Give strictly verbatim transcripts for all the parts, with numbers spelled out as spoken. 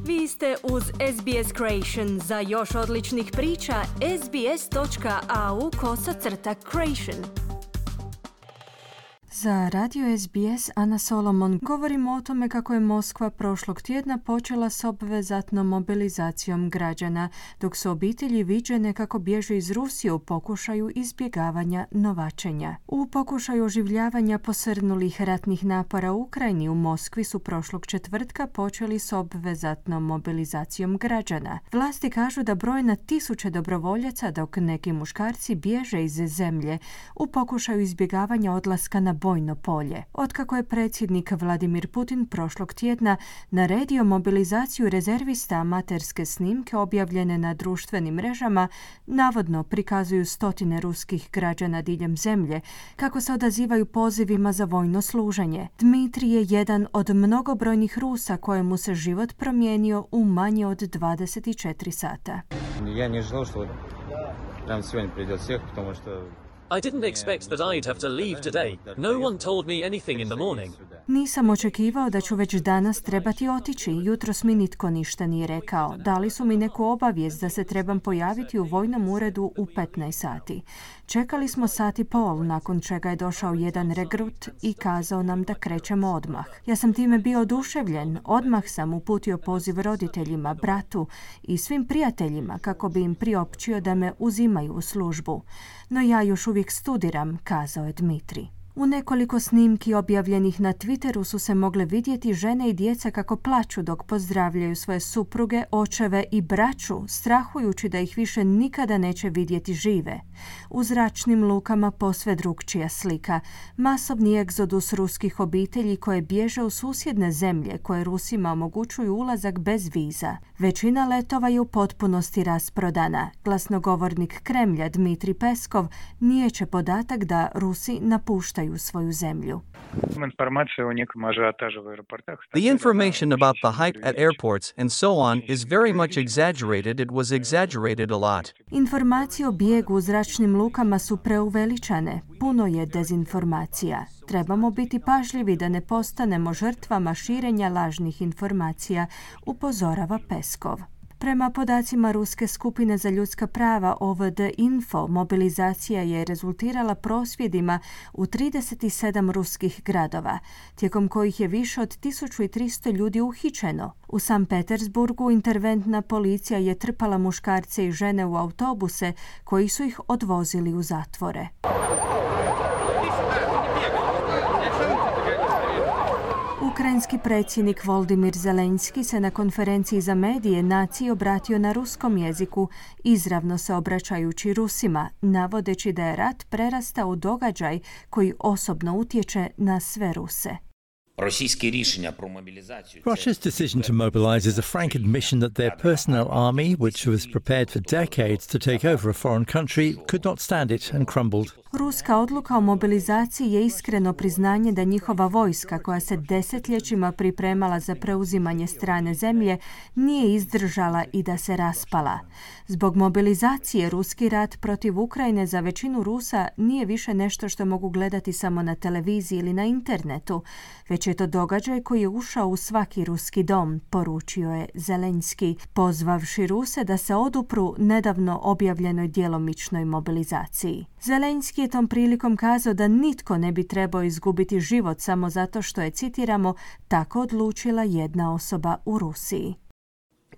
Vi ste uz S B S Creation. Za još odličnih priča, sbs.au kosacrta creation. Za radio S B S Ana Solomon govorimo o tome kako je Moskva prošlog tjedna počela s obvezatnom mobilizacijom građana, dok su obitelji viđene kako bježe iz Rusije u pokušaju izbjegavanja novačenja. U pokušaju oživljavanja posrnulih ratnih napora u Ukrajini u Moskvi su prošlog četvrtka počeli s obvezatnom mobilizacijom građana. Vlasti kažu da broje na tisuće dobrovoljaca, dok neki muškarci bježe iz zemlje u pokušaju izbjegavanja odlaska na bojno polje. Otkako je predsjednik Vladimir Putin prošlog tjedna naredio mobilizaciju rezervista, amaterske snimke objavljene na društvenim mrežama navodno prikazuju stotine ruskih građana diljem zemlje kako se odazivaju pozivima za vojno služenje. Dmitri je jedan od mnogobrojnih Rusa kojemu se život promijenio u manje od dvadeset četiri sata. Ja ne želeo što nam сегодня придет всех, потому что I didn't expect that I'd have to leave today. No one told me anything in the morning. Nisam očekivao da ću već danas trebati otići. Jutros mi nitko ništa nije rekao. Dali su mi neku obavijest da se trebam pojaviti u vojnom uredu u petnaest sati. Čekali smo sat i pol, nakon čega je došao jedan regrut i kazao nam da krećemo odmah. Ja sam time bio oduševljen. Odmah sam uputio poziv roditeljima, bratu i svim prijateljima kako bi im priopćio da me uzimaju u službu. No ja još uvijek studiram, kazao je Dmitri. U nekoliko snimki objavljenih na Twitteru su se mogle vidjeti žene i djeca kako plaču dok pozdravljaju svoje supruge, očeve i braću, strahujući da ih više nikada neće vidjeti žive. U zračnim lukama posve drukčija slika. Masovni egzodus ruskih obitelji koje bježe u susjedne zemlje koje Rusima omogućuju ulazak bez viza. Većina letova je u potpunosti rasprodana. Glasnogovornik Kremlja Dmitri Peskov niječe podatak da Rusi napuštaju u svoju zemlju. The information about the hype at airports and so on is very much exaggerated. It was exaggerated a lot. Informacije o bijegu u zračnim lukama su preuveličane. Puno je dezinformacija. Trebamo biti pažljivi da ne postanemo žrtvama širenja lažnih informacija, upozorava Peskov. Prema podacima Ruske skupine za ljudska prava O V D Info, mobilizacija je rezultirala prosvjedima u trideset sedam ruskih gradova, tijekom kojih je više od tisuću tristo ljudi uhićeno. U San Petersburgu interventna policija je trpala muškarce i žene u autobuse koji su ih odvozili u zatvore. Ukrajinski predsjednik Volodymyr Zelenski se na konferenciji za medije naciji obratio na ruskom jeziku, izravno se obraćajući Rusima, navodeći da je rat prerastao u događaj koji osobno utječe na sve Ruse. Russia's decision to mobilize is a frank admission that their personnel army, which was prepared for decades to take over a foreign country, could not stand it and crumbled. Ruska odluka o mobilizaciji je iskreno priznanje da njihova vojska, koja se desetljećima pripremala za preuzimanje strane zemlje, nije izdržala i da se raspala. Zbog mobilizacije ruski rat protiv Ukrajine za većinu Rusa nije više nešto što mogu gledati samo na televiziji ili na internetu, već je to događaj koji je ušao u svaki ruski dom, poručio je Zelenski, pozvavši Ruse da se odupru nedavno objavljenoj djelomičnoj mobilizaciji. Zelenski je tom prilikom kazao da nitko ne bi trebao izgubiti život samo zato što je, citiramo, tako odlučila jedna osoba u Rusiji.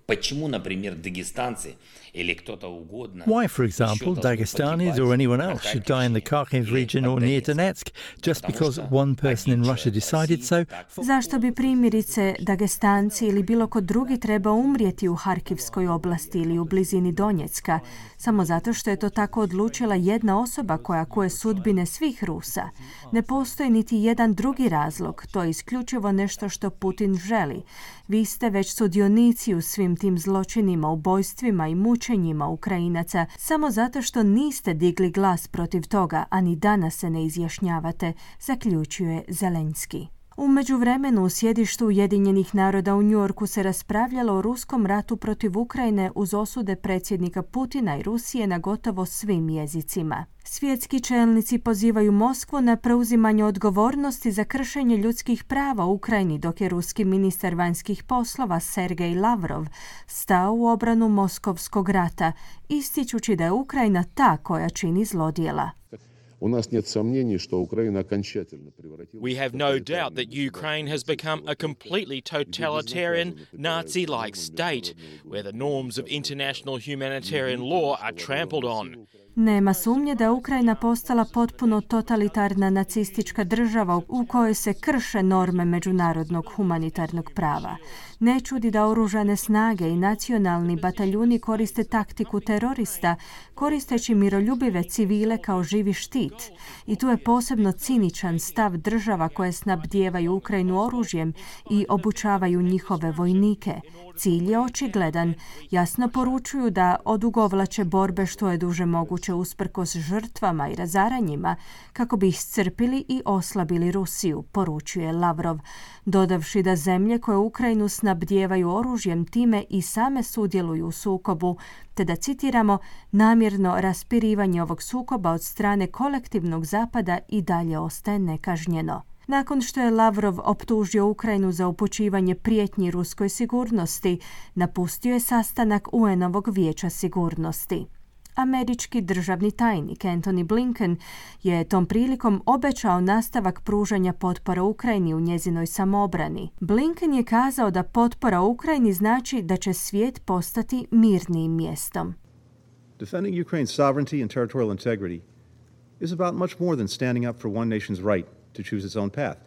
Почему, например, дагестанцы или кто-то угодно... Why, for example, Dagestanis or anyone else should die in the Kharkiv region or near Donetsk just because one person in Russia decided so? Zašto bi primjerice Dagestanci ili bilo ko drugi trebao umrijeti u Harkivskoj oblasti ili u blizini Donjecka, samo zato što je to tako odlučila jedna osoba koja kuje sudbine svih Rusa? Ne postoji niti jedan drugi razlog, to je isključivo nešto što Putin želi. Vi ste već sudionici u svim tim zločinima, ubojstvima i mučenjima Ukrajinaca samo zato što niste digli glas protiv toga, a ni danas se ne izjašnjavate, zaključuje Zelenski. U međuvremenu u sjedištu Ujedinjenih naroda u Njujorku se raspravljalo o ruskom ratu protiv Ukrajine uz osude predsjednika Putina i Rusije na gotovo svim jezicima. Svjetski čelnici pozivaju Moskvu na preuzimanje odgovornosti za kršenje ljudskih prava u Ukrajini, dok je ruski ministar vanjskih poslova Sergej Lavrov stao u obranu moskovskog rata, ističući da je Ukrajina ta koja čini zlodjela. У нас нет сомнений, что Украина окончательно превратилась. We have no doubt that Ukraine has become a completely totalitarian, Nazi-like state, where the norms of international humanitarian law are trampled on. Nema sumnje da je Ukrajina postala potpuno totalitarna nacistička država u kojoj se krše norme međunarodnog humanitarnog prava. Ne čudi da oružane snage i nacionalni bataljuni koriste taktiku terorista, koristeći miroljubive civile kao živi štit. I tu je posebno ciničan stav država koje snabdijevaju Ukrajinu oružjem i obučavaju njihove vojnike. Cilj je očigledan. Jasno poručuju da odugovlače borbe što je duže moguće usprkos žrtvama i razaranjima kako bi iscrpili i oslabili Rusiju, poručuje Lavrov, dodavši da zemlje koje Ukrajinu snabdijevaju oružjem time i same sudjeluju u sukobu, te da, citiramo, namjerno raspirivanje ovog sukoba od strane kolektivnog zapada i dalje ostaje nekažnjeno. Nakon što je Lavrov optužio Ukrajinu za upućivanje prijetnji ruskoj sigurnosti, napustio je sastanak U N-ovog vijeća sigurnosti. Američki državni tajnik Antony Blinken je tom prilikom obećao nastavak pružanja potpora Ukrajini u njezinoj samoobrani. Blinken je kazao da potpora Ukrajini znači da će svijet postati mirnijim mjestom. Defending Ukraine's sovereignty and territorial integrity is about much more than standing up for one nation's right to choose its own path.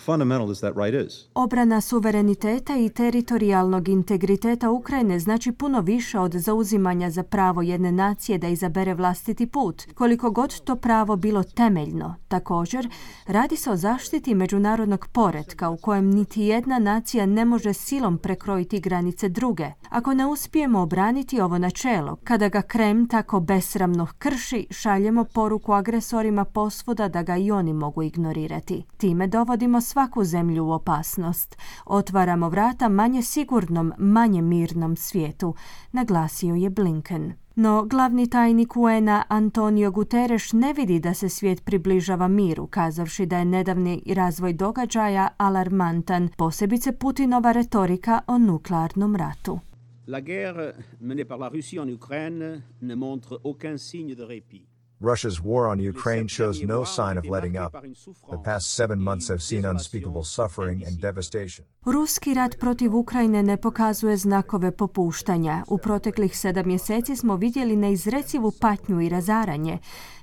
Fundamental as that right is. Obrana suvereniteta i teritorijalnog integriteta Ukrajine znači puno više od zauzimanja za pravo jedne nacije da izabere vlastiti put, koliko god to pravo bilo temeljno. Također, radi se o zaštiti međunarodnog poretka u kojem niti jedna nacija ne može silom prekrojiti granice druge. Ako ne uspijemo obraniti ovo načelo, kada ga Kreml tako besramno krši, šaljemo poruku agresorima posvuda da ga i oni mogu ignorirati. Time dovodimo svaku zemlju u opasnost. Otvaramo vrata manje sigurnom, manje mirnom svijetu, naglasio je Blinken. No glavni tajnik U N-a Antonio Guterres ne vidi da se svijet približava miru, kazavši da je nedavni razvoj događaja alarmantan, posebice Putinova retorika o nuklearnom ratu. La guerre menée par la Russie en Ukraine ne montre aucun signe de répit. Russia's war on Ukraine shows no sign of letting up. The past seven months have seen unspeakable suffering and devastation. Ruski rat protiv Ukrajine ne pokazuje znakove popuštanja. U proteklih sedam mjeseci smo vidjeli neizrecivu patnju i razaranje.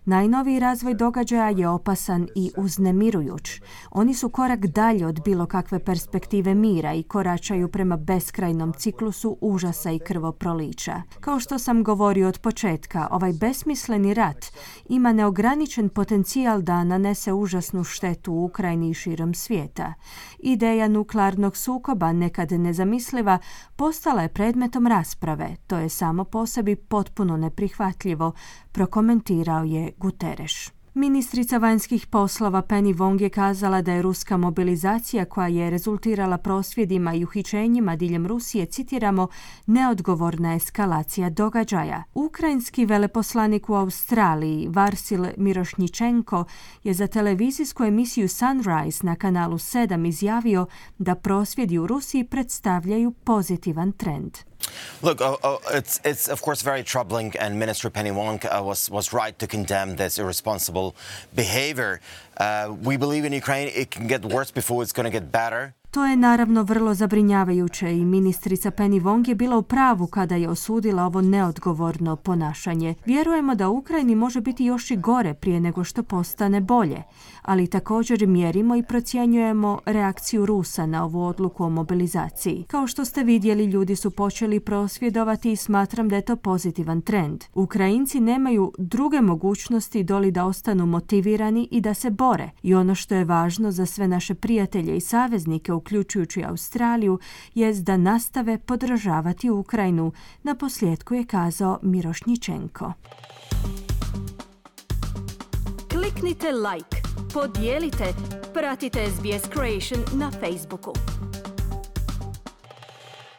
Najnoviji razvoj događaja je opasan i uznemirujuć. Oni su korak dalje od bilo kakve perspektive mira i koračaju prema beskrajnom ciklusu užasa i krvoprolića. Kao što sam govorio od početka, ovaj besmisleni rat ima neograničen potencijal da nanese užasnu štetu u Ukrajini i širom svijeta. Ideja nuklearnog sukoba, nekad nezamisliva, postala je predmetom rasprave. To je samo po sebi potpuno neprihvatljivo, prokomentirao je Guterres. Ministrica vanjskih poslova Penny Wong je kazala da je ruska mobilizacija koja je rezultirala prosvjedima i uhićenjima diljem Rusije, citiramo, neodgovorna eskalacija događaja. Ukrajinski veleposlanik u Australiji, Varsil Mirošnjičenko, je za televizijsku emisiju Sunrise na kanalu sedam izjavio da prosvjedi u Rusiji predstavljaju pozitivan trend. Look, uh, uh, it's, it's of course very troubling, and Minister Penny Wong uh, was, was right to condemn this irresponsible behavior. Uh, we believe in Ukraine it can get worse before it's going to get better. To je naravno vrlo zabrinjavajuće i ministrica Penny Wong je bila u pravu kada je osudila ovo neodgovorno ponašanje. Vjerujemo da u Ukrajini može biti još i gore prije nego što postane bolje, ali također mjerimo i procjenjujemo reakciju Rusa na ovu odluku o mobilizaciji. Kao što ste vidjeli, ljudi su počeli prosvjedovati i smatram da je to pozitivan trend. Ukrajinci nemaju druge mogućnosti doli da ostanu motivirani i da se bore. I ono što je važno za sve naše prijatelje i saveznike, uključujući Australiju, jest da nastave podržavati Ukrajinu, na posljedku je kazao Mirošnjičenko. Kliknite like, podijelite, pratite S B S Creation na Facebooku.